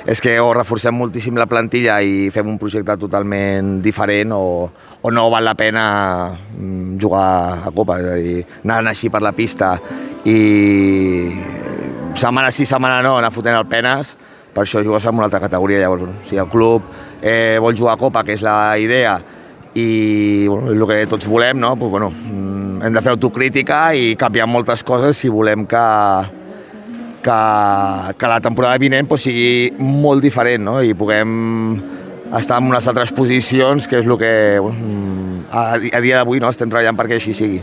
és que o reforcem moltíssim la plantilla i fem un projecte totalment diferent o no val la pena jugar a Copa, és a dir, anant així per la pista i setmana sí, setmana no, anar fotent el penes, per això jugues en una altra categoria. Llavors, si el club vol jugar a Copa, que és la idea, i el que tots volem, no? Pues, hem de fer autocrítica i canviar moltes coses si volem que la temporada vinent sigui molt diferent, no? I puguem estar en unes altres posicions, que és el que a dia d'avui estem treballant perquè així sigui.